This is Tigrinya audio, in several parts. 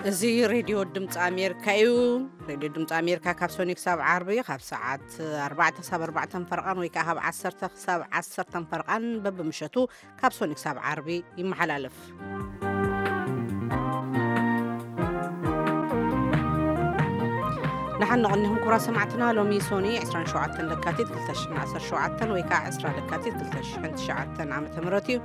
እዚ ሬድዮ ድምፂ ኣሜሪካ እዩ። ሬድዮ ድምፂ ኣሜሪካ ካብ ሰኑይ ክሳብ ዓርቢ ካብ ሰዓት ኣርባዕተ ክሳብ ኣርባዕተ ፈርቓን ወይ ከዓ ካብ ዓሰርተ ክሳብ ዓሰርተ ፈርቓን በብምሸቱ ካብ ሰኑይ ክሳብ ዓርቢ ይመሓላለፍ። ደሓን ንቕኒኹም ክቡራት ሰማዕትና። ሎሚ ሶኒ ዕስራን ሸውዓተን ለካቲት ክልተ ሽሕን ዓሰርተ ሸውዓተን ወይ ከዓ ዕስራ ለካቲት ክልተ ሽሕን ትሽዓተን ዓመተ ምህረት እዩ።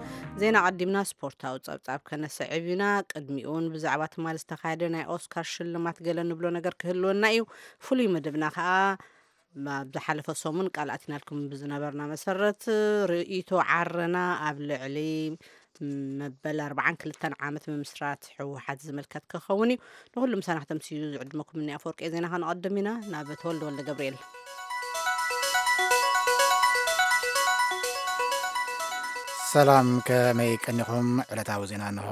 ዜና ቀዲምና ስፖርታዊ ጸብጻብ ከነስዕብ ኢና። ቅድሚኡን ብዛዕባ ትማሊ ዝተኻየደ ናይ ኦስካር ሽልማት ገለ ንብሎ ነገር ክህልወና እዩ። ፍሉይ መደብና ከኣ ኣብ ዝሓለፈ ሰሙን ቃል ኣቲናልኩም ብዝነበርና መሰረት ርእይቶ ዓረና ኣብ ልዕሊ መበል ኣርባዓን ክልተን ዓመት ምምስራት ህወሓት ዝምልከት ክኸውን እዩ። ንኹሉ ምሳና ክተምስዩ ዝዕድመኩም እኒ ኣፈወርቂ ዜና ከነቐድም ኢና። ናብ ተወልደ ወልደ ገብርኤል። ሰላም፣ ከመይ ቀኒኹም? ዕለታዊ ዜና እንሆ።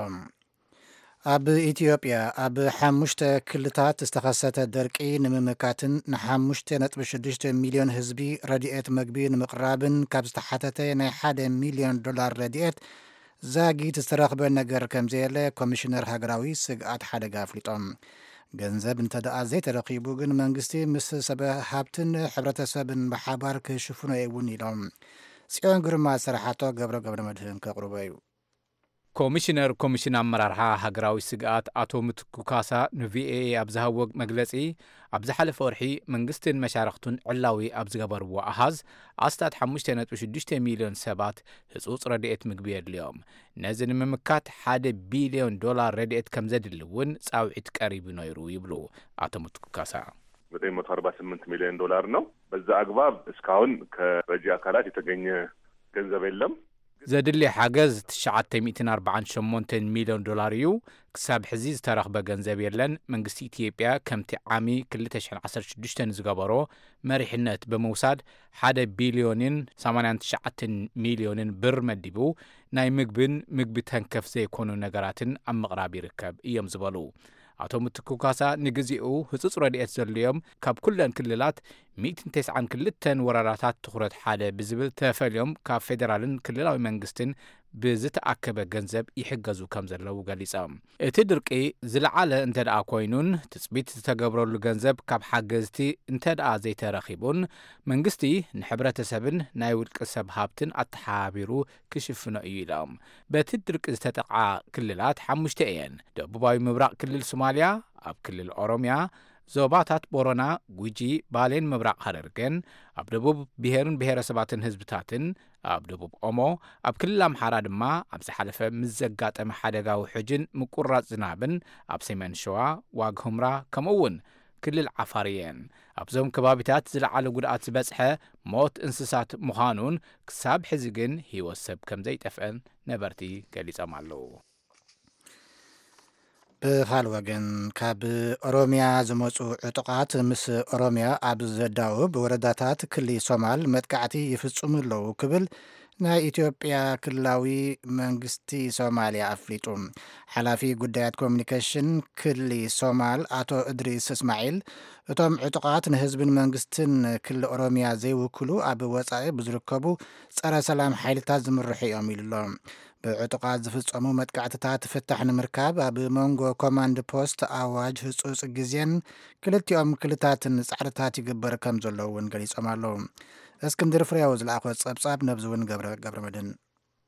ኣብ ኢትዮጵያ ኣብ ሓሙሽተ ክልታት ዝተኸሰተ ደርቂ ንምምካትን ንሓሙሽተ ነጥቢ ሽዱሽተ ሚልዮን ህዝቢ ረድኤት መግቢ ንምቕራብን ካብ ዝተሓተተ ናይ ሓደ ሚልዮን ዶላር ረድኤት ዛጊት ዝተረኽበ ነገር ከም ዘየለ ኮሚሽነር ሃገራዊ ስግኣት ሓደጋ ኣፍሊጦም። ገንዘብ እንተ ደኣ ዘይተረኺቡ ግን መንግስቲ ምስ ሰብ ሃብትን ሕብረተሰብን ብሓባር ክሽፍኖ እውን ኢሎም። ጽዮን ግርማ ዝሰራሓቶ ገብረ ገብረ መድህን ከቕርቦ እዩ። ኮሚሽነር ኮሚሽን ኣመራርሓ ሃገራዊ ስግኣት ኣቶ ምትኩ ካሳ ንቪኦኤ ኣብ ዝሃብዎ መግለጺ፣ ኣብ ዝሓለፈ ወርሒ መንግስትን መሻርኽቱን ዕላዊ ኣብ ዝገበርዎ ኣሃዝ፣ ኣስታት ሓሙሽተ ነጥቢ ሽዱሽተ ሚልዮን ሰባት ህጹጽ ረድኤት ምግቢ የድልዮም። ነዚ ንምምካት ሓደ ቢልዮን ዶላር ረድኤት ከም ዘድሊ እውን ጻውዒት ቀሪቡ ነይሩ ይብሉ ኣቶ ምትኩ ካሳ። ዘጠኝ መቶ አርባ ስምንት ሚሊዮን ዶላር ነው። በዛ አግባብ እስካሁን ከረጂ አካላት የተገኘ ገንዘብ የለም። ዘድሊ ሓገዝ ትሽዓተ ሚእትን ኣርባዓን ሸሞንተን ሚልዮን ዶላር እዩ። ክሳብ ሕዚ ዝተረኽበ ገንዘብ የለን። መንግስቲ ኢትዮጵያ ከምቲ ዓሚ ክልተ ሽሕን ዓሰርተ ሽዱሽተን ዝገበሮ መሪሕነት ብምውሳድ ሓደ ቢልዮንን ሰማንያን ትሽዓተን ሚልዮንን ብር መዲቡ ናይ ምግብን ምግቢ ተንከፍ ዘይኮኑ ነገራትን ኣብ ምቕራብ ይርከብ እዮም ዝበሉ ኣቶ ምትኩ ካሳ፣ ንግዜኡ ህጹጽ ረድኤት ዘድልዮም ካብ ኩለን ክልላት ሚእትን ተስዓን ክልተን ወረዳታት ትኹረት ሓደ ብዝብል ተፈልዮም ካብ ፌደራልን ክልላዊ መንግስትን ብዝተኣከበ ገንዘብ ይሕገዙ ከም ዘለዉ ገሊጾም። እቲ ድርቂ ዝለዓለ እንተ ደኣ ኮይኑን ትጽቢት ዝተገብረሉ ገንዘብ ካብ ሓገዝቲ እንተ ደኣ ዘይተረኺቡን መንግስቲ ንሕብረተሰብን ናይ ውልቂ ሰብ ሃብትን ኣተሓባቢሩ ክሽፍኖ እዩ ኢሎም። በቲ ድርቂ ዝተጠቕዓ ክልላት ሓሙሽተ እየን። ደቡባዊ ምብራቕ ክልል ሶማልያ፣ ኣብ ክልል ኦሮምያ፣ ዞባታት ቦረና፣ ጉጂ፣ ባሌን ምብራቕ ሃረርገን፣ ኣብ ደቡብ ብሄርን ብሄረሰባትን ህዝብታትን፣ ኣብ ደቡብ ኦሞ፣ ኣብ ክልል ኣምሓራ ድማ ኣብ ዝሓለፈ ምስ ዘጋጠመ ሓደጋ ውሕጅን ምቁራጽ ዝናብን ኣብ ሰሜን ሸዋ፣ ዋግ ሁምራ፣ ከምኡ እውን ክልል ዓፋር እየን። ኣብዞም ከባቢታት ዝለዓለ ጉድኣት ዝበጽሐ ሞት እንስሳት ምዃኑን ክሳብ ሕዚ ግን ህይወት ሰብ ከም ዘይጠፍአን ነበርቲ ገሊጾም ኣለዉ። ብኻል ወገን ካብ ኦሮምያ ዝመጹ ዕጡቓት ምስ ኦሮምያ ኣብ ዘዳውብ ወረዳታት ክሊ ሶማል መጥቃዕቲ ይፍጽሙ ኣለዉ ክብል ናይ ኢትዮጵያ ክልላዊ መንግስቲ ሶማልያ ኣፍሊጡ። ሓላፊ ጉዳያት ኮሚኒኬሽን ክሊ ሶማል ኣቶ እድሪስ እስማዒል፣ እቶም ዕጡቓት ንህዝብን መንግስትን ክሊ ኦሮምያ ዘይውክሉ ኣብ ወጻኢ ብዝርከቡ ጸረ ሰላም ሓይልታት ዝምርሑ እዮም ኢሉ ኣሎ። ብዕጡቓት ዝፍጸሙ መጥቃዕትታት ፍታሕ ንምርካብ ኣብ መንጎ ኮማንድ ፖስት ኣዋጅ ህጹጽ ግዜን ክልቲኦም ክልታትን ጻዕርታት ይግበር ከም ዘሎ እውን ገሊጾም ኣለዉ። እስክንድር ፍሬው ዝለኣኾ ጸብጻብ ነብዚ እውን ገብረ ገብረ መድህን።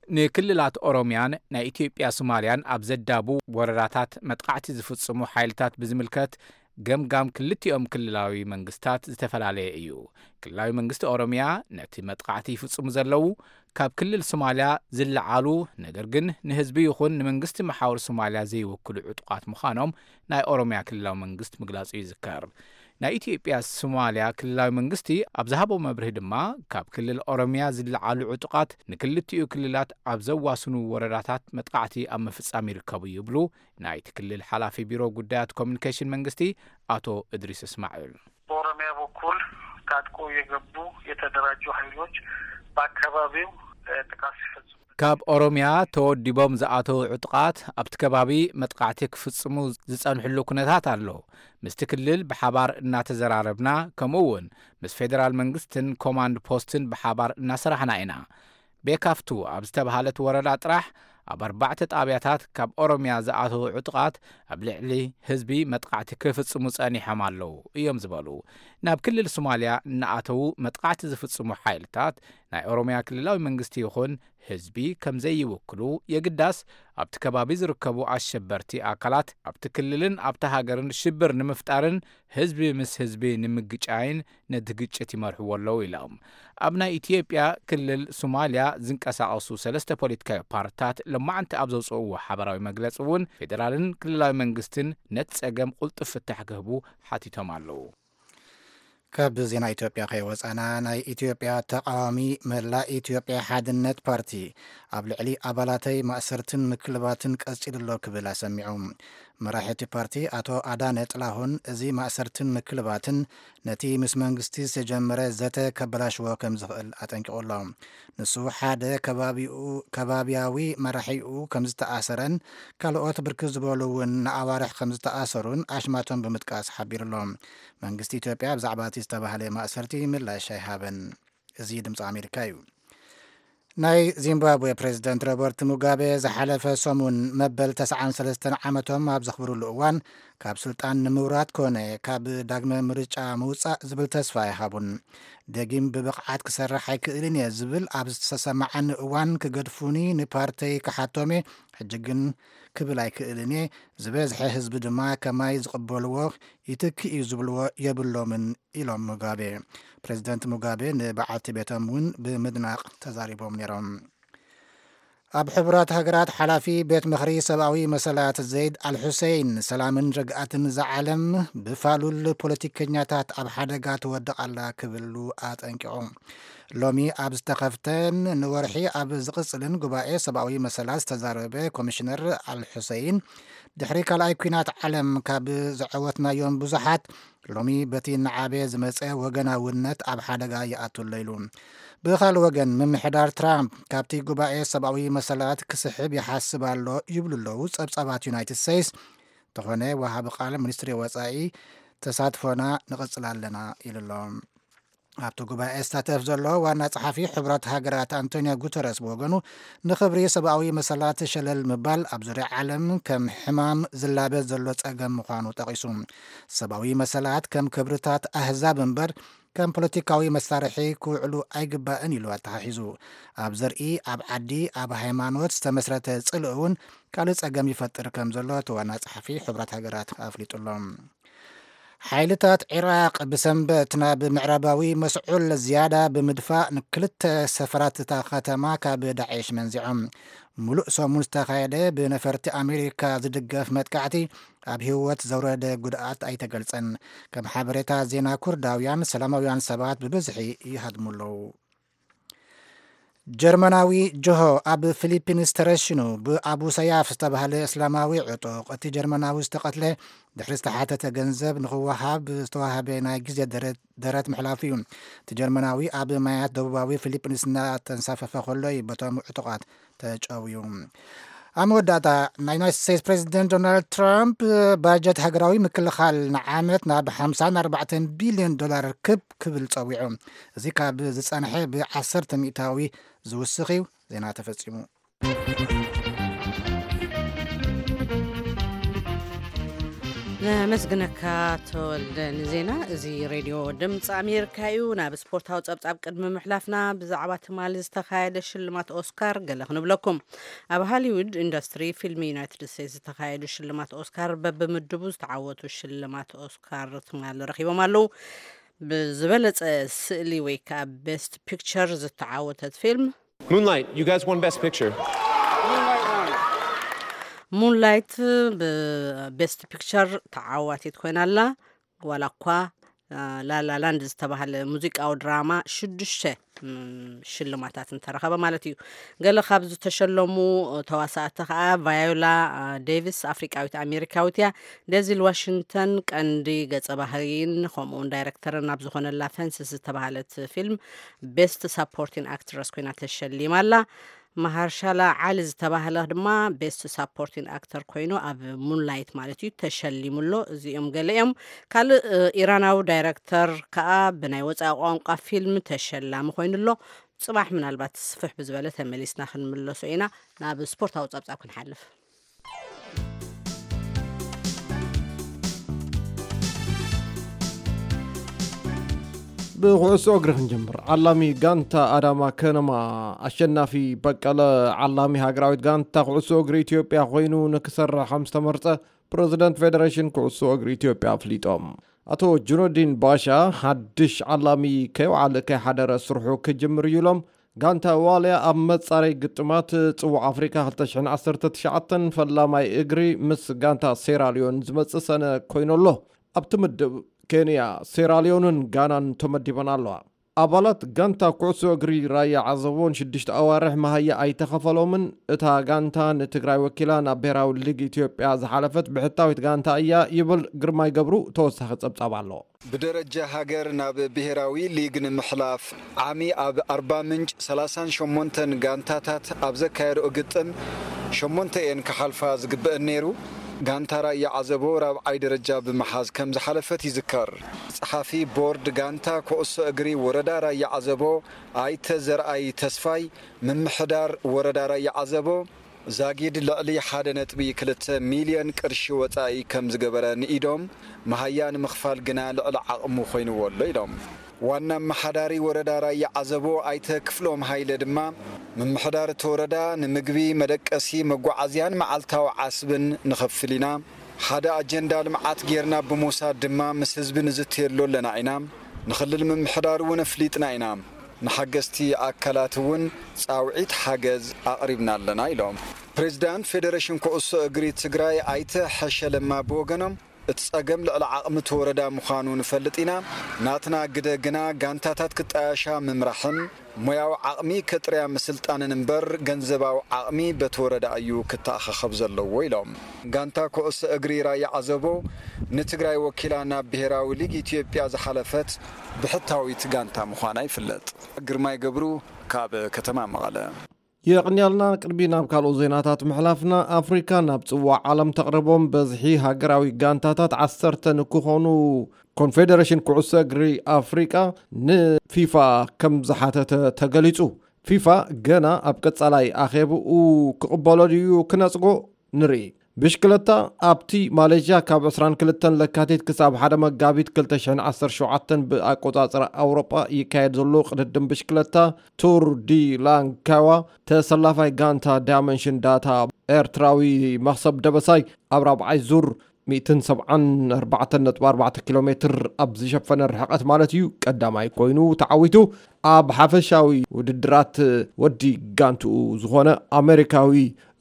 ንክልላት ኦሮምያን ናይ ኢትዮጵያ ሶማልያን ኣብ ዘዳቡ ወረዳታት መጥቃዕቲ ዝፍጽሙ ሓይልታት ብዝምልከት ገምጋም ክልቲኦም ክልላዊ መንግስታት ዝተፈላለየ እዩ። ክልላዊ መንግስቲ ኦሮምያ ነቲ መጥቃዕቲ ይፍጽሙ ዘለዉ ካብ ክልል ሶማልያ ዝለዓሉ፣ ነገር ግን ንህዝቢ ይኹን ንመንግስቲ መሓውር ሶማልያ ዘይውክሉ ዕጡቓት ምዃኖም ናይ ኦሮምያ ክልላዊ መንግስቲ ምግላጹ ይዝከር። ናይ ኢትዮጵያ ሶማልያ ክልላዊ መንግስቲ ኣብ ዝሃቦ መብርሂ ድማ ካብ ክልል ኦሮምያ ዝለዓሉ ዕጡቓት ንክልቲኡ ክልላት ኣብ ዘዋስኑ ወረዳታት መጥቃዕቲ ኣብ ምፍጻም ይርከቡ ይብሉ ናይቲ ክልል ሓላፊ ቢሮ ጉዳያት ኮሚኒኬሽን መንግስቲ ኣቶ እድሪስ እስማዒል። በኦሮሚያ በኩል ታጥቆ የገቡ የተደራጁ ኃይሎች በአካባቢው ጥቃት ሲፈጽሙ ካብ ኦሮምያ ተወዲቦም ዝኣተዉ ዕጡቓት ኣብቲ ከባቢ መጥቃዕቲ ክፍጽሙ ዝጸንሕሉ ኩነታት ኣሎ። ምስቲ ክልል ብሓባር እናተዘራረብና፣ ከምኡ እውን ምስ ፌደራል መንግስትን ኮማንድ ፖስትን ብሓባር እናሰራሕና ኢና። ቤካፍቱ ኣብ ዝተባህለት ወረዳ ጥራሕ ኣብ ኣርባዕተ ጣብያታት ካብ ኦሮምያ ዝኣተዉ ዕጡቓት ኣብ ልዕሊ ህዝቢ መጥቃዕቲ ክፍጽሙ ጸኒሖም ኣለዉ እዮም ዝበሉ። ናብ ክልል ሶማልያ እናኣተዉ መጥቃዕቲ ዝፍጽሙ ሓይልታት ናይ ኦሮምያ ክልላዊ መንግስቲ ይኹን ህዝቢ ከም ዘይውክሉ፣ የግዳስ ኣብቲ ከባቢ ዝርከቡ ኣሸበርቲ ኣካላት ኣብቲ ክልልን ኣብቲ ሃገርን ሽብር ንምፍጣርን ህዝቢ ምስ ህዝቢ ንምግጫይን ነቲ ግጭት ይመርሕዎ ኣለዉ ኢሎም። ኣብ ናይ ኢትዮጵያ ክልል ሶማልያ ዝንቀሳቐሱ ሰለስተ ፖለቲካዊ ፓርትታት ሎማዕንቲ ኣብ ዘውፅእዎ ሓበራዊ መግለፂ እውን ፌዴራልን ክልላዊ መንግስትን ነቲ ፀገም ቁልጡፍ ፍታሕ ክህቡ ሓቲቶም ኣለዉ። ካብ ዜና ኢትዮጵያ ከይወፃና፣ ናይ ኢትዮጵያ ተቃዋሚ መላእ ኢትዮጵያ ሓድነት ፓርቲ ኣብ ልዕሊ ኣባላተይ ማእሰርትን ምክልባትን ቀፂሉ ኣሎ ክብል ኣሰሚዑ። መራሒ እቲ ፓርቲ ኣቶ ኣዳነ ጥላሁን፣ እዚ ማእሰርትን ምክልባትን ነቲ ምስ መንግስቲ ዝተጀመረ ዘተ ከበላሽዎ ከም ዝኽእል ኣጠንቂቑ ኣሎ። ንሱ ሓደ ከባቢኡ፣ ከባቢያዊ መራሒኡ ከም ዝተኣሰረን ካልኦት ብርክት ዝበሉ እውን ንኣዋርሕ ከም ዝተኣሰሩን ኣሽማቶም ብምጥቃስ ሓቢሩ ኣሎ። መንግስቲ ኢትዮጵያ ብዛዕባ እቲ ዝተባህለ ማእሰርቲ ምላሽ ኣይሃበን። እዚ ድምፂ ኣሜሪካ እዩ። ናይ ዚምባብዌ ፕሬዝደንት ሮበርት ሙጋቤ ዝሓለፈ ሰሙን መበል ተስዓን ሰለስተን ዓመቶም ኣብ ዘኽብሩሉ እዋን፣ ካብ ስልጣን ንምውራድ ኮነ ካብ ዳግመ ምርጫ ምውጻእ ዝብል ተስፋ ኣይሃቡን። ደጊም ብብቕዓት ክሰርሕ ኣይክእልን እየ ዝብል ኣብ ዝተሰማዓኒ እዋን፣ ክገድፉኒ ንፓርተይ ክሓቶም እየ። ሕጂ ግን ክብል ኣይክእልን እየ። ዝበዝሐ ህዝቢ ድማ ከማይ ዝቕበልዎ፣ ይትክእ እዩ ዝብልዎ የብሎምን ኢሎም ሙጋቤ። ፕሬዝደንት ሙጋቤ ንበዓልቲ ቤቶም እውን ብምድናቕ ተዛሪቦም ነይሮም። ኣብ ሕቡራት ሃገራት ሓላፊ ቤት ምኽሪ ሰብኣዊ መሰላት ዘይድ ኣልሑሴይን፣ ሰላምን ርግኣትን እዛ ዓለም ብፋሉል ፖለቲከኛታት ኣብ ሓደጋ ትወድቕ ኣላ ክብሉ ኣጠንቂቑ። ሎሚ ኣብ ዝተኸፍተን ንወርሒ ኣብ ዝቕጽልን ጉባኤ ሰብኣዊ መሰላት ዝተዛረበ ኮሚሽነር ኣልሑሴይን፣ ድሕሪ ካልኣይ ኲናት ዓለም ካብ ዘዐወትናዮም ብዙሓት፣ ሎሚ በቲ እናዓበየ ዝመጸ ወገናውነት ኣብ ሓደጋ ይኣቱ ኣሎ ኢሉ። ብኻልእ ወገን፣ ምምሕዳር ትራምፕ ካብቲ ጉባኤ ሰብኣዊ መሰላት ክስሕብ ይሓስብ ኣሎ ይብሉ ኣለዉ ጸብጻባት ዩናይትድ ስቴትስ። እንተኾነ፣ ወሃቢ ቃል ሚኒስትሪ ወጻኢ፣ "ተሳትፎና ንቕጽል ኣለና" ኢሉ ኣሎ። ኣብቲ ጉባኤ ዝሳተፍ ዘሎ ዋና ጸሓፊ ሕቡራት ሃገራት ኣንቶኒዮ ጉተረስ ብወገኑ፣ ንኽብሪ ሰብኣዊ መሰላት ሸለል ምባል ኣብ ዙርያ ዓለም ከም ሕማም ዝላበ ዘሎ ጸገም ምዃኑ ጠቒሱ፣ ሰብኣዊ መሰላት ከም ክብርታት ኣህዛብ እምበር ከም ፖለቲካዊ መሳርሒ ክውዕሉ ኣይግባእን ኢሉ ኣተሓሒዙ። ኣብ ዘርኢ፣ ኣብ ዓዲ፣ ኣብ ሃይማኖት ዝተመስረተ ጽልኢ እውን ካልእ ጸገም ይፈጥር ከም ዘሎ እቲ ዋና ጸሓፊ ሕቡራት ሃገራት ኣፍሊጡ ኣሎ። ሓይልታት ዒራቕ ብሰንበት ናብ ምዕራባዊ መስዑል ዝያዳ ብምድፋእ፣ ንክልተ ሰፈራት እታ ከተማ ካብ ዳዕሽ መንዚዖም። ሙሉእ ሰሙን ዝተኻየደ ብነፈርቲ ኣሜሪካ ዝድገፍ መጥቃዕቲ ኣብ ህይወት ዘውረደ ጉድኣት ኣይተገልጸን። ከም ሓበሬታ ዜና፣ ኩርዳውያን ሰላማውያን ሰባት ብብዝሒ ይሃድሙ ኣለዉ። ጀርመናዊ ጆሆ ኣብ ፊሊፒንስ ተረሽኑ። ብኣቡ ሰያፍ ዝተባህለ እስላማዊ ዕጡቕ እቲ ጀርመናዊ ዝተቐትለ፣ ድሕሪ ዝተሓተተ ገንዘብ ንኽወሃብ ዝተዋህበ ናይ ግዜ ደረት፣ ደረት ምሕላፉ እዩ። እቲ ጀርመናዊ ኣብ ማያት ደቡባዊ ፊሊፒንስ እናተንሳፈፈ ከሎ እዩ በቶም ዕጡቓት ተጨውዩ። ኣብ መወዳእታ፣ ናይ ዩናይትድ ስቴትስ ፕሬዚደንት ዶናልድ ትራምፕ ባጀት ሃገራዊ ምክልኻል ንዓመት ናብ ሓምሳን ኣርባዕተን ቢልዮን ዶላር ክብ ክብል ጸዊዑ። እዚ ካብ ዝጸንሐ ብዓሰርተ ሚእታዊ ዝውስኽ እዩ። ዜና ተፈጺሙ። ነመስግነካ ተወልደ ንዜና። እዚ ሬድዮ ድምፂ ኣሜሪካ እዩ። ናብ ስፖርታዊ ጸብጻብ ቅድሚ ምሕላፍና፣ ብዛዕባ ትማሊ ዝተኻየደ ሽልማት ኦስካር ገለ ክንብለኩም። ኣብ ሃሊውድ ኢንዱስትሪ ፊልም ዩናይትድ ስቴትስ ዝተኻየዱ ሽልማት ኦስካር፣ በብምድቡ ዝተዓወቱ ሽልማት ኦስካር ትማሊ ረኺቦም ኣለዉ። ብዝበለጸ ስእሊ ወይ ከዓ ቤስት ፒክቸር ዝተዓወተት ፊልም፣ Moonlight, you guys won Best Picture. ሙንላይት ብቤስት ፒክቸር ተዓዋቲት ኮይና ኣላ። ዋላ እኳ፣ አ፣ ላላላንድ ዝተባህለ ሙዚቃዊ ድራማ ሽዱሽተ፣ ም፣ ሽልማታት እንተረኸበ ማለት እዩ። ገለ ካብ ዝተሸለሙ ተዋሳእቲ ከኣ፣ ቫዮላ፣ አ፣ ዴቪስ ኣፍሪቃዊት ኣሜሪካዊት እያ። ደዚል ዋሽንግተን ቀንዲ ገጸ ባህሪን ከምኡውን ዳይረክተርን ኣብ ዝኾነላ ፈንስስ ዝተባህለት ፊልም ቤስት ሳፖርቲን ኣክትረስ ኮይና ተሸሊማ ኣላ። ማሃርሻላ ዓሊ ዝተባህለ ድማ ቤስት ሳፖርቲን ኣክተር ኮይኑ ኣብ ሙንላይት ማለት እዩ ተሸሊሙ ኣሎ። እዚኦም ገለ እዮም። ካልእ ኢራናዊ ዳይረክተር ከዓ ብናይ ወፃኢ ቋንቋ ፊልም ተሸላሚ ኮይኑ ኣሎ። ፅባሕ ምናልባት ስፍሕ ብዝበለ ተመሊስና ክንምለሶ ኢና። ናብ ስፖርታዊ ፀብፃብ ክንሓልፍ። ብኩዕሶ እግሪ ክንጀምር። ዓላሚ ጋንታ ኣዳማ ከነማ ኣሸናፊ በቀለ ዓላሚ ሃገራዊት ጋንታ ኩዕሶ እግሪ ኢትዮጵያ ኮይኑ ንክሰርሕ ከም ዝተመርጸ ፕረዚደንት ፌደሬሽን ኩዕሶ እግሪ ኢትዮጵያ ኣፍሊጦም። ኣቶ ጁነዲን ባሻ ሓድሽ ዓላሚ ከይወዓለ ከይሓደረ ስርሑ ክጅምር እዩ ኢሎም። ጋንታ ዋልያ ኣብ መጻረይ ግጥማት ጽዋዕ ኣፍሪካ ክልተ ሽሕን ዓሰርተ ትሽዓተን ፈላማይ እግሪ ምስ ጋንታ ሴራልዮን ዝመጽእ ሰነ ኮይኑ ኣሎ። ኣብቲ ምድብ ኬንያ፣ ሴራልዮንን ጋናን ተመዲበን ኣለዋ። ኣባላት ጋንታ ኩዕሶ እግሪ ራያ ዓዘቦ ንሽዱሽተ ኣዋርሕ መሃያ ኣይተኸፈሎምን። እታ ጋንታ ንትግራይ ወኪላ ናብ ብሄራዊ ሊግ ኢትዮጵያ ዝሓለፈት ብሕታዊት ጋንታ እያ ይብል ግርማይ ገብሩ ተወሳኺ ጸብጻብ ኣሎ። ብደረጃ ሃገር ናብ ብሄራዊ ሊግ ንምሕላፍ ዓሚ ኣብ ኣርባ ምንጭ ሰላሳን ሸሞንተን ጋንታታት ኣብ ዘካየድኦ ግጥም ሸሞንተ እየን ክሓልፋ ዝግበአን ነይሩ። ጋንታ ራያ ዓዘቦ ራብዓይ ደረጃ ብምሓዝ ከም ዝሓለፈት ይዝከር። ጸሓፊ ቦርድ ጋንታ ኩዕሶ እግሪ ወረዳ ራያ ዓዘቦ ኣይተ ዘርኣይ ተስፋይ፣ ምምሕዳር ወረዳ ራያ ዓዘቦ ዛጊድ ልዕሊ ሓደ ነጥቢ ክልተ ሚልዮን ቅርሺ ወጻኢ ከም ዝገበረ ንኢዶም፣ መሃያ ንምኽፋል ግና ልዕሊ ዓቕሙ ኮይንዎ ኣሎ ኢሎም። ዋና ኣመሓዳሪ ወረዳ ራያ ዓዘቦ ኣይተ ክፍሎም ሃይለ ድማ፣ ምምሕዳር እቲ ወረዳ ንምግቢ፣ መደቀሲ፣ መጓዓዝያን መዓልታዊ ዓስብን ንኸፍል ኢና። ሓደ ኣጀንዳ ልምዓት ጌርና ብምውሳድ ድማ ምስ ህዝቢ ንዝትየሉ ኣለና ኢና። ንክልል ምምሕዳር እውን ኣፍሊጥና ኢና። ንሓገዝቲ ኣካላት እውን ጻውዒት ሓገዝ ኣቕሪብና ኣለና ኢሎም። ፕሬዚዳንት ፌዴሬሽን ኩዕሶ እግሪ ትግራይ ኣይተ ሐሸ ለማ ብወገኖም፣ እቲ ጸገም ልዕሊ ዓቕሚ እቲ ወረዳ ምዃኑ ንፈልጥ ኢና። ናትና ግደ ግና ጋንታታት ክጣያሻ ምምራሕን ሞያዊ ዓቕሚ ከጥርያ ምስልጣንን እምበር ገንዘባዊ ዓቕሚ በቲ ወረዳ እዩ ክተኣኻኸብ ዘለዎ ኢሎም። ጋንታ ኩዕሶ እግሪ ራያ ዓዘቦ ንትግራይ ወኪላ ናብ ብሄራዊ ሊግ ኢትዮጵያ ዝሓለፈት ብሕታዊት ጋንታ ምዃና ይፍለጥ። ግርማይ ገብሩ ካብ ከተማ መቐለ። የቕንያልና። ቅድሚ ናብ ካልኦት ዜናታት ምሕላፍና፣ ኣፍሪካ ናብ ጽዋዕ ዓለም ተቕርቦም በዝሒ ሃገራዊ ጋንታታት ዓሰርተ ንክኾኑ ኮንፌደሬሽን ኩዕሶ እግሪ ኣፍሪቃ ንፊፋ ከም ዝሓተተ ተገሊጹ። ፊፋ ገና ኣብ ቀጻላይ ኣኼብኡ ክቕበሎ ድዩ ክነጽጎ ንርኢ። ብሽክለታ ኣብቲ ማሌዥያ ካብ ዕስራን ክልተን ለካቲት ክሳብ ሓደ መጋቢት ክልተ ሽሕን ዓሰርተ ሸውዓተን ብኣቆጻጽራ ኣውሮጳ ይካየድ ዘሎ ቅድድም ብሽክለታ ቱር ዲ ላንካዋ ተሰላፋይ ጋንታ ዳይመንሽን ዳታ ኤርትራዊ መኽሰብ ደበሳይ ኣብ ራብዓይ ዙር ሚእትን ሰብዓን ኣርባዕተን ነጥቢ ኣርባዕተ ኪሎ ሜትር ኣብ ዝሸፈነ ርሕቐት ማለት እዩ ቀዳማይ ኮይኑ ተዓዊቱ። ኣብ ሓፈሻዊ ውድድራት ወዲ ጋንትኡ ዝኾነ ኣሜሪካዊ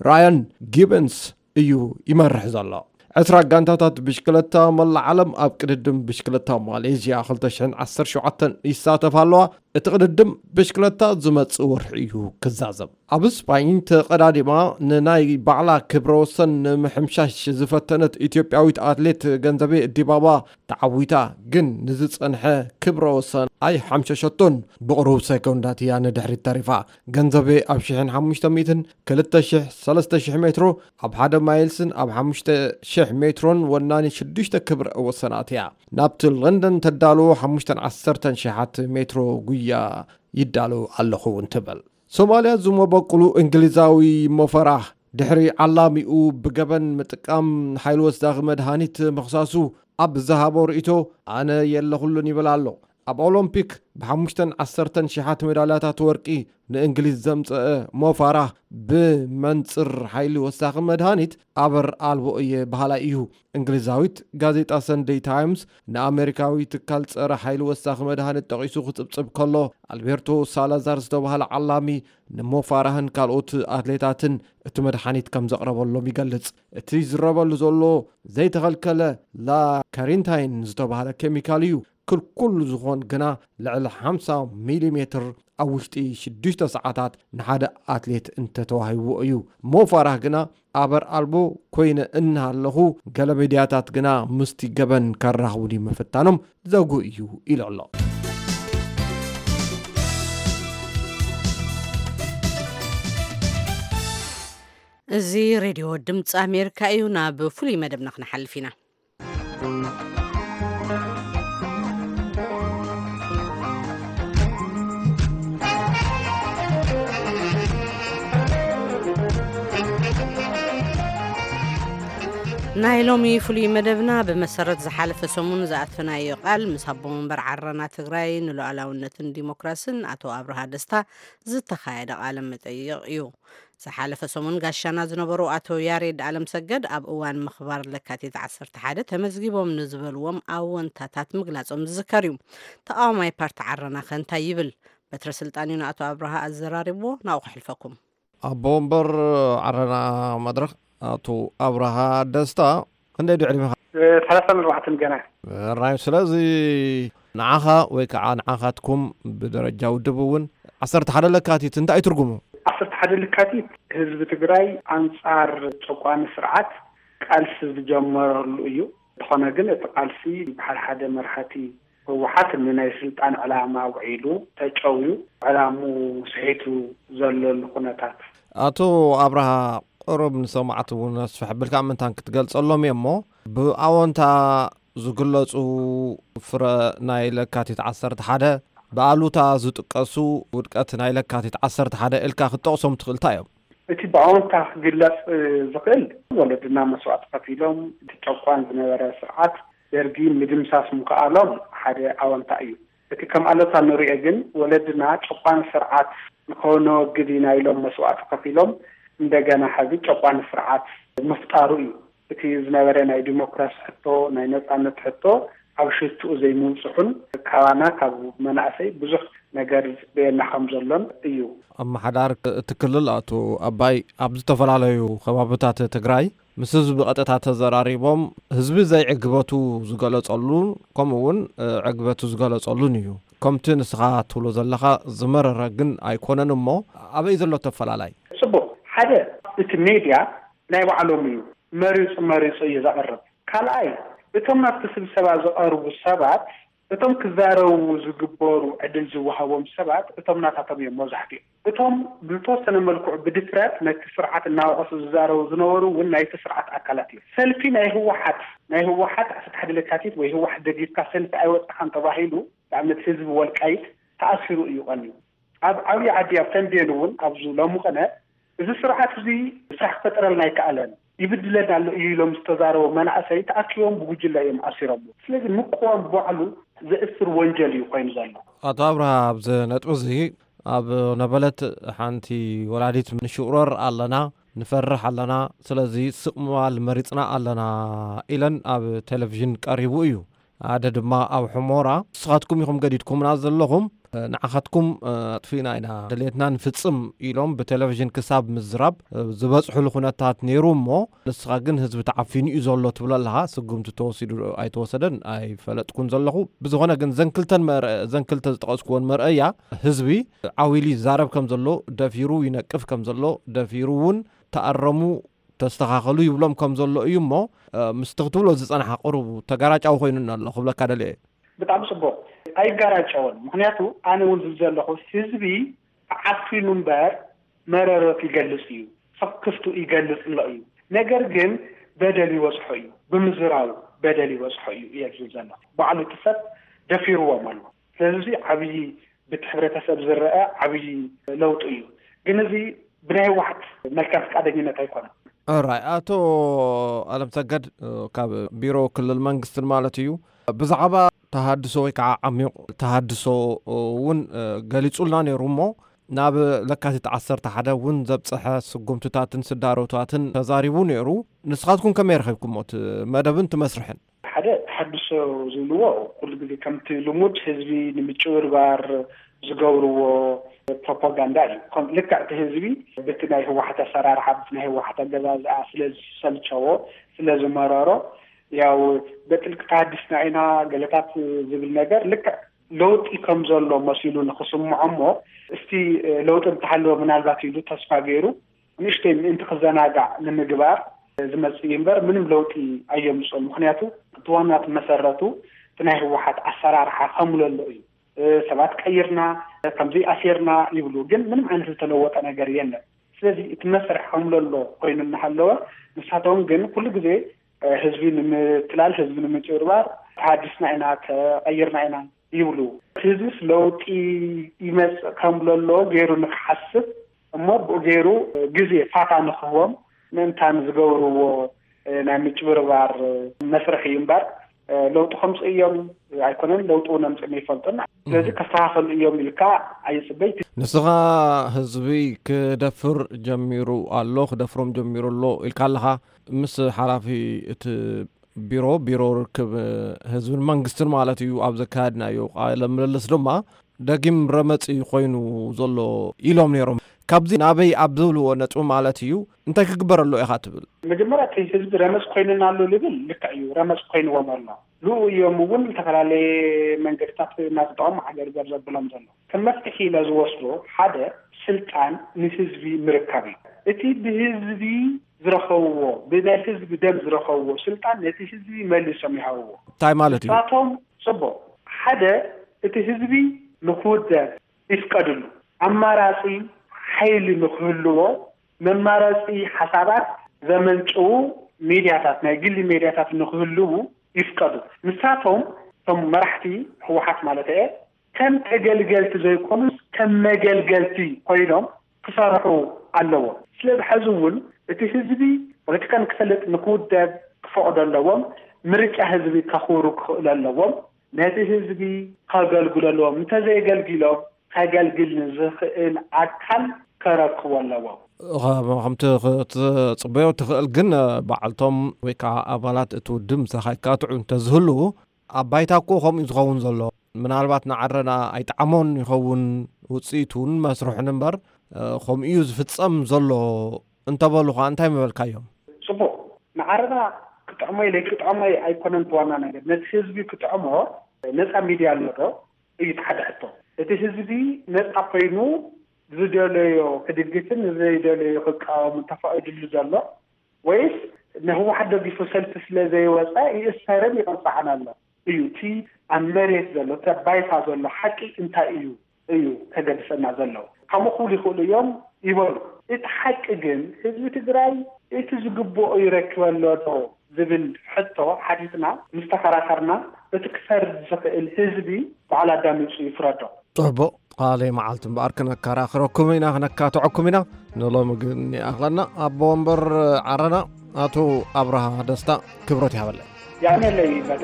ራያን ጊበንስ እዩ ይመርሕ ዘሎ። ዕስራ ጋንታታት ብሽክለታ መላእ ዓለም ኣብ ቅድድም ብሽክለታ ማሌዥያ ክልተ ሽሕን ዓሰርተ ሸውዓተን ይሳተፋ ኣለዋ። እቲ ቅድድም ብሽክለታ ዝመጽእ ወርሒ እዩ ክዛዘም። ኣብ ስፓኝ ተቐዳዲማ ንናይ ባዕላ ክብረ ወሰን ንምሕምሻሽ ዝፈተነት ኢትዮጵያዊት ኣትሌት ገንዘቤ ዲባባ ተዓዊታ፣ ግን ንዝጸንሐ ክብረ ወሰን ኣይሓምሸሸቶን። ብቕሩብ ሰኮንዳት እያ ንድሕሪት ተሪፋ። ገንዘቤ ኣብ ሽሕን ሓሙሽተ ሚእትን፣ ክልተ ሽሕ፣ ሰለስተ ሽሕ ሜትሮ፣ ኣብ ሓደ ማይልስን ኣብ ሓሙሽተ ሽሕ ሜትሮን ወናኒ ሽዱሽተ ክብረ ወሰናት እያ። ናብቲ ለንደን ተዳልዎ ሓሙሽተን ዓሰርተን ሽሓት ሜትሮ ጉያ ይዳሎ ኣለኹ እውን ትብል። ሶማልያ ዝመበቁሉ እንግሊዛዊ ሞፈራህ ድሕሪ ዓላሚኡ ብገበን ምጥቃም ሓይሊ ወሳኺ መድሃኒት ምኽሳሱ ኣብ ዝሃቦ ርእይቶ ኣነ የለኹሉን ይብል ኣሎ። ኣብ ኦሎምፒክ ብሓሙሽተን ዓሰርተን ሽሓት ሜዳልያታት ወርቂ ንእንግሊዝ ዘምፀአ ሞፋራህ ብመንፅር ሓይሊ ወሳኺ መድሃኒት ኣበር ኣልቦ እየ በሃላይ እዩ። እንግሊዛዊት ጋዜጣ ሰንደይ ታይምስ ንኣሜሪካዊ ትካል ጸረ ሓይሊ ወሳኺ መድሃኒት ጠቒሱ ክጽብጽብ ከሎ፣ ኣልቤርቶ ሳላዛር ዝተባህለ ዓላሚ ንሞፋራህን ካልኦት ኣትሌታትን እቲ መድሃኒት ከም ዘቕረበሎም ይገልጽ። እቲ ዝረበሉ ዘሎ ዘይተኸልከለ ላካሪንታይን ዝተባህለ ኬሚካል እዩ። ክልኩል ዝኾን ግና ልዕሊ ሓምሳ ሚሊ ሜትር ኣብ ውሽጢ ሽዱሽተ ሰዓታት ንሓደ ኣትሌት እንተተዋሂብዎ እዩ። ሞፋራህ ግና ኣበር ኣልቦ ኮይነ እናሃለኹ ገለ ሚድያታት ግና ምስቲ ገበን ከራኽቡኒ ምፍታኖም ዘጉ እዩ ኢሉ ኣሎ። እዚ ሬድዮ ድምፂ ኣሜሪካ እዩ። ናብ ፍሉይ መደብና ክንሓልፍ ኢና። ናይ ሎሚ ፍሉይ መደብና ብመሰረት ዝሓለፈ ሰሙን ዝኣተናዮ ቃል ምስ ኣቦ መንበር ዓረና ትግራይ ንሉዓላውነትን ዲሞክራስን ኣቶ ኣብርሃ ደስታ ዝተኻየደ ቃለ መጠይቕ እዩ። ዝሓለፈ ሰሙን ጋሻና ዝነበሩ ኣቶ ያሬድ ኣለምሰገድ ኣብ እዋን ምኽባር ለካቲት ዓሰርተ ሓደ ተመዝጊቦም ንዝበልዎም ኣወንታታት ምግላጾም ዝዝከር እዩ። ተቓዋማይ ፓርቲ ዓረና ከ እንታይ ይብል? በትረ ስልጣን እዩ ንኣቶ ኣብርሃ ኣዘራሪብዎ፣ ናብኡ ከሕልፈኩም። ኣቦ ወንበር ዓረና መድረኽ ኣቶ ኣብርሃ ደስታ፣ ክንደይ ድዕድሚኻ? ሰላሳን ኣርባዕተን ገና። ራይ፣ ስለዚ ንዓኻ ወይ ከዓ ንዓኻትኩም ብደረጃ ውድብ እውን ዓሰርተ ሓደ ለካቲት እንታይ እዩ ትርጉሙ? ዓሰርተ ሓደ ለካቲት ህዝቢ ትግራይ ኣንጻር ጨቋኒ ስርዓት ቃልሲ ዝጀመረሉ እዩ። እንተኾነ ግን እቲ ቃልሲ ብሓደ ሓደ መራሕቲ ህወሓት ንናይ ስልጣን ዕላማ ውዒሉ ተጨውዩ ዕላሙ ስሒቱ ዘለሉ ኩነታት። ኣቶ ኣብርሃ፣ ቁሩብ ንሰማዕቲ እውን ኣስፍሕ ኣቢልካ ምንታን ክትገልጸሎም እየ እሞ፣ ብኣወንታ ዝግለጹ ፍረ ናይ ለካቲት ዓሰርተ ሓደ፣ ብኣሉታ ዝጥቀሱ ውድቀት ናይ ለካቲት ዓሰርተ ሓደ ኢልካ ክትጠቕሶም ትኽእል እንታይ እዮም? እቲ ብኣወንታ ክግለጽ ዝኽእል፣ ወለድና መስዋእቲ ከፊሎም እቲ ጨቋን ዝነበረ ስርዓት ደርጊ ምድምሳስ ምኽኣሎም ሓደ ኣወንታ እዩ። እቲ ከም ኣሉታ ንሪኦ ግን፣ ወለድና ጨቋኒ ስርዓት ንኸነወግድ ኢና ኢሎም መስዋእቲ ከፊሎም፣ እንደገና ሕዚ ጨቋኒ ስርዓት ምፍጣሩ እዩ። እቲ ዝነበረ ናይ ዲሞክራሲ ሕቶ፣ ናይ ነጻነት ሕቶ ኣብ ሽትኡ ዘይምብጽሑን ካባና፣ ካብ መናእሰይ ብዙሕ ነገር ዝጽበየና ከም ዘሎን እዩ። ኣመሓዳሪ እቲ ክልል ኣቶ ኣባይ ኣብ ዝተፈላለዩ ከባብታት ትግራይ ምስ ህዝቢ ብቐጥታ ተዘራሪቦም ህዝቢ ዘይዕግበቱ ዝገለጸሉን ከምኡ እውን፣ እ፣ ዕግበቱ ዝገለጸሉን እዩ። ከምቲ ንስኻ ትብሎ ዘለኻ ዝመረረ ግን ኣይኮነን እሞ፣ ኣበይ ዘሎ ተፈላላይ? ጽቡቕ። ሓደ፣ እቲ ሜድያ ናይ ባዕሎም እዩ፣ መሪጹ መሪጹ እዩ ዘቕርብ። ካልኣይ፣ እቶም ናብቲ ስብሰባ ዝቐርቡ ሰባት፣ እቶም ክዛረቡ ዝግበሩ ዕድል ዝወሃቦም ሰባት እቶም ናታቶም እዮም መብዛሕትኡ። እቶም ብዝተወሰነ መልክዑ ብድፍረት ነቲ ስርዓት እናወቐሱ ዝዛረቡ ዝነበሩ እውን ናይቲ ስርዓት ኣካላት እዮም። ሰልፊ ናይ ህወሓት፣ ናይ ህወሓት ዓሰርተ ሓደ ለካቲት ወይ ህወሓት ደጊፍካ ሰልፊ ኣይወጻኻን ተባሂሉ፣ ንኣብነት ህዝቢ ወልቃይት ተኣሲሩ እዩ ቀንዩ። ኣብ ዓብዪ ዓዲ ኣብ ተምቤን እውን ኣብዚ ሎሚ ቅነ እዚ ስርዓት እዚ ስራሕ ክፈጥረልና ኣይከኣለን፣ ይብድለና ኣሎ እዩ ኢሎም ዝተዛረቡ መናእሰይ ተኣኪቦም ብጉጅለ እዮም ኣሲሮምዎ። ስለዚ ምቅዋም ባዕሉ ዘእስር ወንጀል እዩ ኮይኑ ዘሎ። ኣቶ ኣብርሃ፣ ኣብዚ ነጥቢ እዚ ኣብ ነበለት ሓንቲ ወላዲት ንሽቑረር ኣለና፣ ንፈርሕ ኣለና፣ ስለዚ ስቕ ምባል መሪጽና ኣለና ኢለን ኣብ ቴሌቪዥን ቀሪቡ እዩ። ሓደ ድማ ኣብ ሕሞራ፣ ንስኻትኩም ኢኹም ገዲድኩምና ዘለኹም፣ ንዓኻትኩም ኣጥፊእና ኢና፣ ድሌትና ንፍጽም ኢሎም ብቴሌቪዥን ክሳብ ምዝራብ ዝበጽሑሉ ኩነታት ነይሩ እሞ፣ ንስኻ ግን ህዝቢ ተዓፊኑ እዩ ዘሎ ትብል ኣለኻ። ስጉምቲ ተወሲዱ ዶ ኣይተወሰደን ኣይፈለጥኩን ዘለኹ። ብዝኾነ ግን ዘን ክልተን መር-፣ ዘን ክልተ ዝጠቐስኩወን መርኣያ ህዝቢ ዓው ኢሉ ይዛረብ ከም ዘሎ፣ ደፊሩ ይነቅፍ ከም ዘሎ፣ ደፊሩ እውን ተኣረሙ፣ ተስተኻኸሉ ይብሎም ከም ዘሎ እዩ እሞ፣ እ፣ ምስቲ ክትብሎ ዝጸናሕካ ቁሩብ ተጋራጫዊ ኮይኑኒ ኣሎ ክብለካ ደልየ እየ። ብጣዕሚ ጽቡቕ። ኣይጋራጨውን። ምኽንያቱ ኣነ እውን ዝብል ዘለኹ ህዝቢ ተዓፊኑ እምበር መረረቱ ይገልጽ እዩ፣ ስኽፍቱ ይገልጽ ኣሎ እዩ። ነገር ግን በደል ይበዝሖ እዩ፣ ብምዝራቡ በደል ይበዝሖ እዩ እየ ዝብል ዘለኹ። ባዕሉ እቲ ሰብ ደፊርዎም ኣሎ። ስለዚ እዚ ዓብዪ ብቲ ሕብረተሰብ ዝረአ ዓብዪ ለውጢ እዩ። ግን እዚ ብናይ ህወሓት መልካም ፍቃደኝነት ኣይኮነን። ኦራይ፣ ኣቶ ኣለምሰገድ፣ እ፣ ካብ ቢሮ ክልል መንግስትን ማለት እዩ፣ ብዛዕባ ተሃድሶ ወይ ከዓ ዓሚቕ ተሃድሶ እውን፣ እ፣ ገሊጹልና ነይሩ እሞ፣ ናብ ለካቲት ዓሰርተ ሓደ እውን ዘብጽሐ ስጉምትታትን ስዳሮታትን ተዛሪቡ ነይሩ። ንስኻትኩም ከመይ ረኺብኩሞ እቲ መደብን እቲ መስርሕን? ሓደ ተሃድሶ ዝብልዎ ኩሉ ግዜ ከምቲ ልሙድ ህዝቢ ንምጭብርባር ዝገብርዎ ፕሮፓጋንዳ እዩ። ከም ልክዕ እቲ ህዝቢ በቲ ናይ ህወሓት ኣሰራርሓ፣ በቲ ናይ ህወሓት ኣገዛዝኣ ስለ ዝሰልቸዎ፣ ስለ ዝመረሮ፣ ያው በጥልቂ ተሃዲስና ኢና ገለታት ዝብል ነገር ልክዕ ለውጢ ከም ዘሎ መሲሉ ንክስምዖ እሞ፣ እስቲ ለውጢ እንተሃለወ ምናልባት ኢሉ ተስፋ ገይሩ ንእሽተይ ምእንቲ ክዘናጋዕ ንምግባር ዝመጽእ እዩ እምበር ምንም ለውጢ ኣየምጽኦን። ምኽንያቱ እቲ ዋና እቲ መሰረቱ እቲ ናይ ህወሓት ኣሰራርሓ ከምለሎ እዩ። ሰባት ቀይርና፣ ከምዚ ኣሲርና ይብሉ፣ ግን ምንም ዓይነት ዝተለወጠ ነገር የለን። ስለዚ እቲ መስርሕ ከም ዘሎ ኮይኑ እናሃለወ፣ ንሳቶም ግን ኩሉ ግዜ፣ እ፣ ህዝቢ ንምትላል፣ ህዝቢ ንምጭብርባር፣ ተሃዲስና ኢና፣ ተቐይርና ኢና ይብሉ። ህዝብስ ለውጢ ይመጽእ ከም ዘሎ ገይሩ ንክሓስብ እሞ ብኡ ገይሩ ግዜ ፋታ ንክህቦም ምእንታን ዝገብርዎ፣ እ፣ ናይ ምጭብርባር፣ እ፣ መስርሕ እዩ እምበር፣ እ፣ ለውጢ ከምጽኡ እዮም ኣይኮነን፣ ለውጢ እውን ኣምጽኦም ይፈልጡን። ስለዚ ከስተኻኸሉ እዮም ኢልካ ኣይጽበይ። ንስኻ ህዝቢ ክደፍር ጀሚሩ ኣሎ፣ ክደፍሮም ጀሚሩ ኣሎ ኢልካ ኣለኻ። ምስ ሓላፊ እቲ ቢሮ፣ ቢሮ ርክብ ህዝብን መንግስትን ማለት እዩ፣ ኣብ ዘካየድናዮ ቃለ ምልልስ ድማ ደጊም ረመጺ ኮይኑ ዘሎ ኢሎም ነይሮም። ካብዚ ናበይ ኣብ ዝብልዎ ነጥቢ ማለት እዩ፣ እንታይ ክግበረሉ ኢኻ ትብል? መጀመርያ እቲ ህዝቢ ረመጽ ኮይኑና ኣሎ ልብል ልክዕ እዩ፣ ረመጽ ኮይንዎም ኣሎ። ንኡ እዮም እውን ዝተፈላለየ መንገድታት እናተጠቐሙ ሓገርገር ዘብሎም ዘሎ። ከም መፍትሒ ኢለ ዝወስዶ ሓደ ስልጣን ንህዝቢ ምርካብ እዩ። እቲ ብህዝቢ ዝረኸብዎ፣ ብናይ ህዝቢ ደም ዝረኸብዎ ስልጣን ነቲ ህዝቢ መሊሶም ይሃብዎ። እንታይ ማለት እዩ? ንሳቶም ጽቡቕ፣ ሓደ እቲ ህዝቢ ንክውደብ ይፍቀድሉ። ኣማራጺ ሓይሊ ንክህልዎ መማረጺ ሓሳባት ዘመንጭዉ ሚድያታት፣ ናይ ግሊ ሚድያታት ንክህልዉ ይፍቀዱ። ንሳቶም፣ እቶም መራሕቲ ህወሓት ማለት እየ፣ ከም ተገልገልቲ ዘይኮኑስ ከም መገልገልቲ ኮይኖም ክሰርሑ ኣለዎም። ስለዚ ሕዚ እውን እቲ ህዝቢ ፖለቲካ ንክፈልጥ፣ ንክውደብ ክፈቕዶ ኣለዎም። ምርጫ ህዝቢ ከኽብሩ ክኽእሉ ኣለዎም። ነቲ ህዝቢ ከገልግሉ ኣለዎም። እንተዘየገልጊሎም፣ ከገልግል ንዝኽእል ኣካል ከረክቦ ኣለዎም። ኸ-፣ ከምቲ ክትጽበዮ ትኽእል ግን፣ ባዕልቶም ወይ ከዓ ኣባላት እቲ ውድብ ምሳኻ ይካትዑ እንተዝህልዉ፣ ኣብ ባይታ እኮ ከምኡ እዩ ዝኸውን ዘሎ። ምናልባት ንዓረና ኣይጠዓሞን ይኸውን ውፅኢቱን መስርሑን እምበር፣ እ፣ ከምኡ እዩ ዝፍጸም ዘሎ እንተበሉ ኸዓ እንታይ ምበልካዮም? ጽቡቕ፣ ንዓረና ክጥዕሞ ኢለ ክጥዕሞ ኣይኮነን እቲ ዋና ነገር። ነቲ ህዝቢ ክጥዕሞ ነጻ ሚድያ ኣሎ ዶ? እዩ እቲ ሓደ ሕቶ። እቲ ህዝቢ ነጻ ኮይኑ ዝደለዮ ክድግፍን ዘይደለዮ ክቃወምን ተፈቒድሉ ዘሎ፣ ወይስ ንህወሓት ደጊፉ ሰልፊ ስለ ዘይወጸ ይእሰርን ይቕጻዕን ኣሎ? እዩ እቲ ኣብ መሬት ዘሎ፣ እቲ ኣብ ባይታ ዘሎ ሓቂ እንታይ እዩ? እዩ ከገድሰና ዘሎ። ከምኡ ክብሉ ይኽእሉ እዮም ይበሉ። እቲ ሓቂ ግን ህዝቢ ትግራይ እቲ ዝግብኦ ይረክብ ኣሎ ዶ ዝብል ሕቶ ሓቲትና ምስ ተኸራኸርና፣ እቲ ክፈርድ ዝኽእል ህዝቢ ባዕሉ ኣዳሚፁ ይፍረዶ። ጽቡቕ፣ ካልእ መዓልቲ እምበኣር ክነከራኽረኩም ኢና፣ ክነካትዐኩም ኢና። ንሎሚ ግን ይኣኽለና። ኣቦ ወንበር ዓረና ኣቶ ኣብርሃ ደስታ፣ ክብረት ይሃበለይ። ያኔ ለይ ይበል።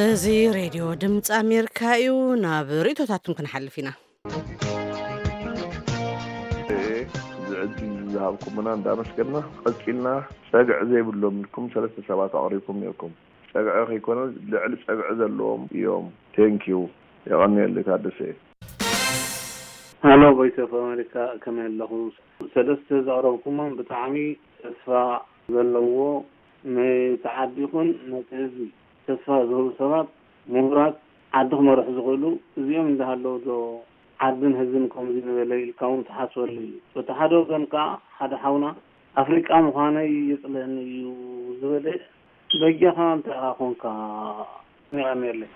እዚ ሬድዮ ድምፂ ኣሜሪካ እዩ። ናብ ርእቶታትኩም ክንሓልፍ ኢና። እዚ ዕድል ዝሃብኩምና እንዳመስገና፣ ቀፂልና ጸግዒ ዘይብሎም ኢልኩም ሰለስተ ሰባት ኣቕሪብኩም ነይርኩም። ጸግዒ ከይኮነ ልዕሊ ጸግዒ ዘለዎም እዮም። ቴንኪዩ። የቐንየለይ ታደሰ እየ። ሃሎ ቮይስ ኦፍ ኣሜሪካ፣ ከመይ ኣለኹም? ሰለስተ ዘቕረብኩሞም ብጣዕሚ ተስፋ ዘለዎ፣ ነቲ ዓዲ ይኹን ነቲ ህዝቢ ተስፋ ዝህቡ ሰባት፣ ምሁራት፣ ዓዲ ክመርሑ ዝኽእሉ እዚኦም እንዳሃለዉ ዶ ዓድን ህዝብን ከምዚ ዝበለ ኢልካ እውን ትሓስበሉ እዩ። በቲ ሓደ ወገን ከኣ ሓደ ሓውና ኣፍሪቃ ምዃነይ የጽልእኒ እዩ ዝበለ በጃኻ እንታይ ኢኻ ኮንካ? የቐንየለይ።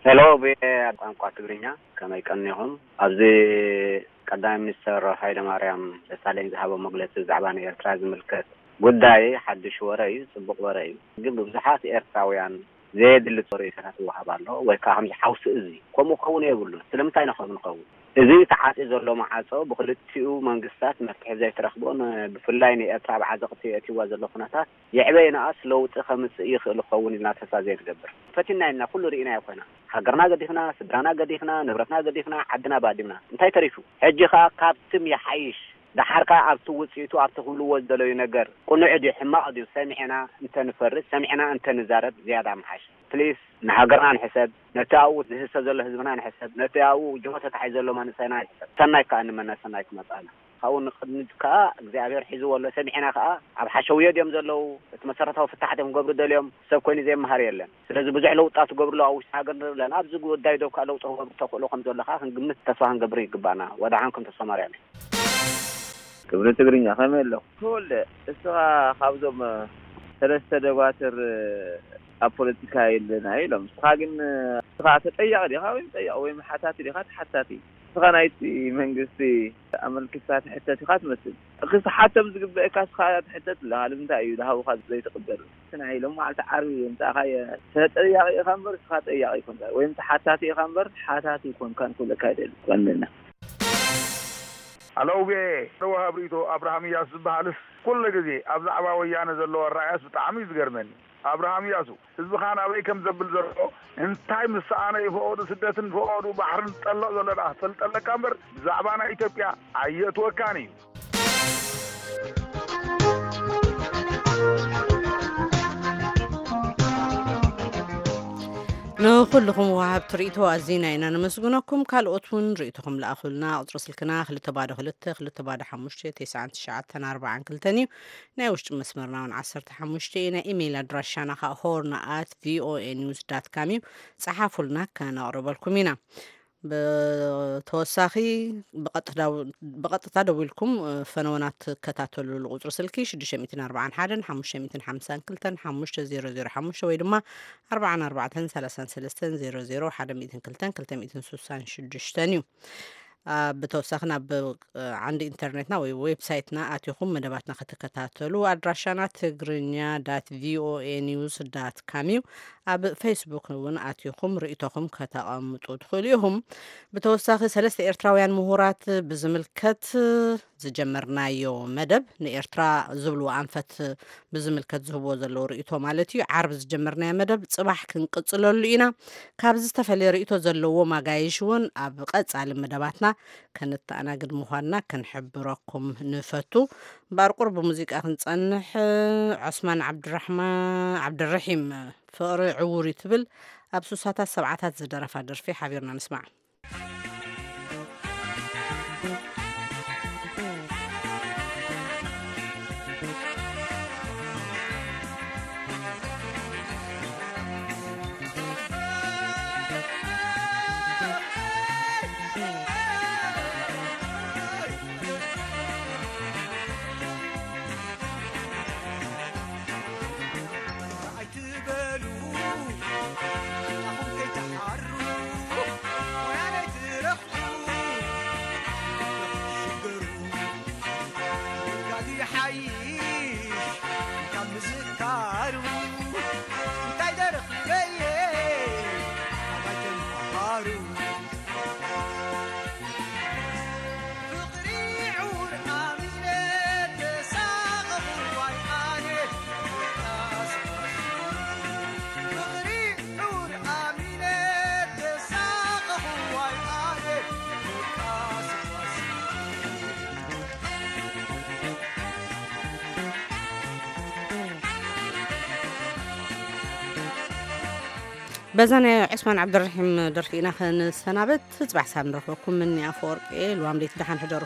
ሄሎ፣ ቪኦኤ ቋንቋ ትግርኛ፣ ከመይ ቀኒኹም? ኣብዚ ቀዳማይ ሚኒስተር ሃይለማርያም ደሳለኝ ዝሃቦ መግለጺ ብዛዕባ ንኤርትራ ዝምልከት ጉዳይ ሓድሽ ወረ እዩ፣ ጽቡቕ ወረ እዩ። ግን ብብዙሓት ኤርትራውያን ዘየድሊ ርእይቶታት ይወሃብ ኣሎ፣ ወይ ከኣ ከምዚ ሓውሲ እዚ። ከምኡ ክኸውን የብሉን። ስለምንታይ ኢና ከምኡ ንኸውን? እዚ ተዓጽዩ ዘሎ ማዕጾ ብኽልቲኡ መንግስታት መፍትሒ ዘይተረኽቦን ብፍላይ ንኤርትራ ኣብ ዓዘቕቲ የእትይዋ ዘሎ ኩነታት ይዕበ ይንኣስ ለውጢ ከምጽእ ይኽእል ክኸውን ኢልና ተስፋ ዘይንገብር። ፈቲንና ኢና፣ ኩሉ ርኢናዮ ኮይና። ሃገርና ገዲፍና፣ ስድራና ገዲፍና፣ ንብረትና ገዲፍና፣ ዓድና ባዲምና። እንታይ ተሪፉ? ሕጂ ኸኣ ካብትም ይሓይሽ። ደሓር ከኣ ኣብቲ ውጽኢቱ፣ ኣብቲ ክብልዎ ዝደለዩ ነገር ቅኑዕ ድዩ ሕማቕ ድዩ ሰሚዕና እንተንፈርድ፣ ሰሚዕና እንተንዛረብ ዝያዳ ምሓሽ። ፕሊስ ንሃገርና ንሕሰብ፣ ነቲ ኣብኡ ዝህሰ ዘሎ ህዝብና ንሕሰብ፣ ነቲ ኣብኡ ጅሆ ተታሒዙ ዘሎ መንእሰይና ንሕሰብ። ሰናይ ከኣ ንመነ ሰናይ ክመጽኣና። ካብኡ ንቕድሚት ከኣ እግዚኣብሔር ሒዝዎ ኣሎ። ሰሚዕና ከኣ ኣብ ሓሸውየ ድዮም ዘለዉ፣ እቲ መሰረታዊ ፍታሕ ድዮም ክገብሩ ደልዮም፣ ሰብ ኮይኑ ዘይመሃር የለን። ስለዚ ብዙሕ ለውጢታት ይገብሩ ኣለዉ ኣብ ውሽጢ ሃገር ንርኢ ኣለና። ኣብዚ ጉዳይ ዶ ከኣ ለውጢ ክገብሩ ተኽእሎ ከም ዘሎ ከኣ ክንግምት ተስፋ ክንገብር ይግባና። ወደሓንኩም ተስፋ ማርያም እየ። ክብሪ ትግርኛ ከመይ ኣለኹ? ተወልደ፣ እስኻ ካብዞም ሰለስተ ደባትር ኣብ ፖለቲካ የለና ኢሎም። ንስኻ ግን ንስኻ ተጠያቂ ዲኻ ወይም ጠያቂ ወይም ሓታቲ ዲኻ ተሓታቲ? ንስኻ ናይቲ መንግስቲ ኣመልኪትካ ትሕተት ኢኻ ትመስል። ክስሓቶም ዝግበእካ ንስኻ ትሕተት ኣለኻ። ንምንታይ እዩ ዝሃቡኻ ዘይትቕበል? እቲ ናይ ሎማዓልቲ ዓርቢ ዘምጻእካዮ ተጠያቂ ኢኻ እምበር ንስኻ ጠያቂ ኣይኮንካ ወይም ተሓታቲ ኢኻ እምበር ተሓታቲ ኣይኮንካን ክብለካ ይደሊ። ቀንደና። ኣለውቤ ተወሃብ ርእይቶ ኣብርሃም እያሱ ዝበሃልስ ኩሉ ግዜ ኣብ ዛዕባ ወያነ ዘለዎ ኣረኣእያስ ብጣዕሚ እዩ ዝገርመኒ። ኣብርሃም እያሱ ህዝብኻ ናበይ ከም ዘብል ዘሎ እንታይ ምስ ሰኣነ እዩ ፈቐዱ ስደትን ፈቐዱ ባሕርን ዝጠልቕ ዘሎ ደኣ ክፈልጥ ኣለካ እምበር ብዛዕባ ናይ ኢትዮጵያ ኣየእትወካን እዩ። ንኹልኹም ወሃብቲ ርእይቶ ኣዚና ኢና ነመስግነኩም። ካልኦት እውን ርእይቶኹም ለኣኹልና። ቁፅሪ ስልክና ክልተ ባዶ ክልተ ክልተ ባዶ ሓሙሽተ ተስዓን ትሽዓተን ኣርባዓን ክልተን እዩ። ናይ ውሽጢ መስመርና እውን ዓሰርተ ሓሙሽተ እዩ። ናይ ኢሜይል ኣድራሻና ከዓ ሆርን ኣት ቪኦኤ ኒውስ ዳት ካም እዩ። ፀሓፉልና፣ ከነቕርበልኩም ኢና። ብተወሳኺ ብቐጥታ ደዊልኩም ፈነወና ትከታተሉሉ ቁፅሪ ስልኪ ሽዱሽተ ሚእትን ኣርባዓን ሓደን ሓሙሽተ ሚእትን ሓምሳን ክልተን ሓሙሽተ ዜሮ ዜሮ ሓሙሽተ ወይ ድማ ኣርባዓን ኣርባዕተን ሰላሳን ሰለስተን ዜሮ ዜሮ ሓደ ሚእትን ክልተን ክልተ ሚእትን ስሳን ሽዱሽተን እዩ። ብተወሳኺ ናብ ዓንዲ ኢንተርኔትና ወይ ዌብሳይትና ኣቲኹም መደባትና ክትከታተሉ ኣድራሻና ትግርኛ ዳት ቪኦኤ ኒውስ ዳት ካም እዩ። ኣብ ፌስቡክ እውን ኣቲኹም ርእይቶኹም ከተቐምጡ ትኽእሉ ኢኹም። ብተወሳኺ ሰለስተ ኤርትራውያን ምሁራት ብዝምልከት ዝጀመርናዮ መደብ ንኤርትራ ዝብልዎ ኣንፈት ብዝምልከት ዝህብዎ ዘለዉ ርእይቶ ማለት እዩ። ዓርቢ ዝጀመርናዮ መደብ ጽባሕ ክንቅጽለሉ ኢና። ካብ ዝተፈለየ ርእይቶ ዘለዎም ኣጋይሽ እውን ኣብ ቀጻሊ መደባትና ከነተኣናግድ ምዃንና ክንሕብረኩም ንፈቱ። እምበኣር ቁሩብ ብሙዚቃ ክንጸንሕ፣ ዑስማን ዓብድራሕማ ዓብድረሒም ፍቕሪ ዕዉር እዩ ትብል ኣብ ሱሳታት ሰብዓታት ዝደረፋ ደርፊ ሓቢርና ንስማዕ። በዛ ናይ ዑስማን ዓብደርሒም ደርፊ ኢና ክንሰናበት። ጽባሕ ሳብ ንረኽበኩም። ምኒ ኣፈወርቂ፣ ልዋም ለይቲ ደሓን ሕደሩ።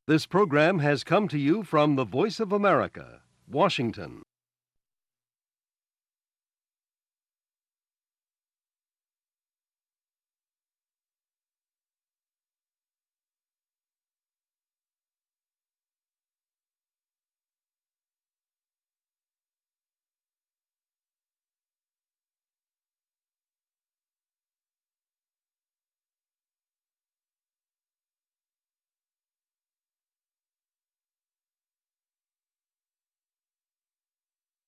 This program has come to you from the Voice of America, Washington.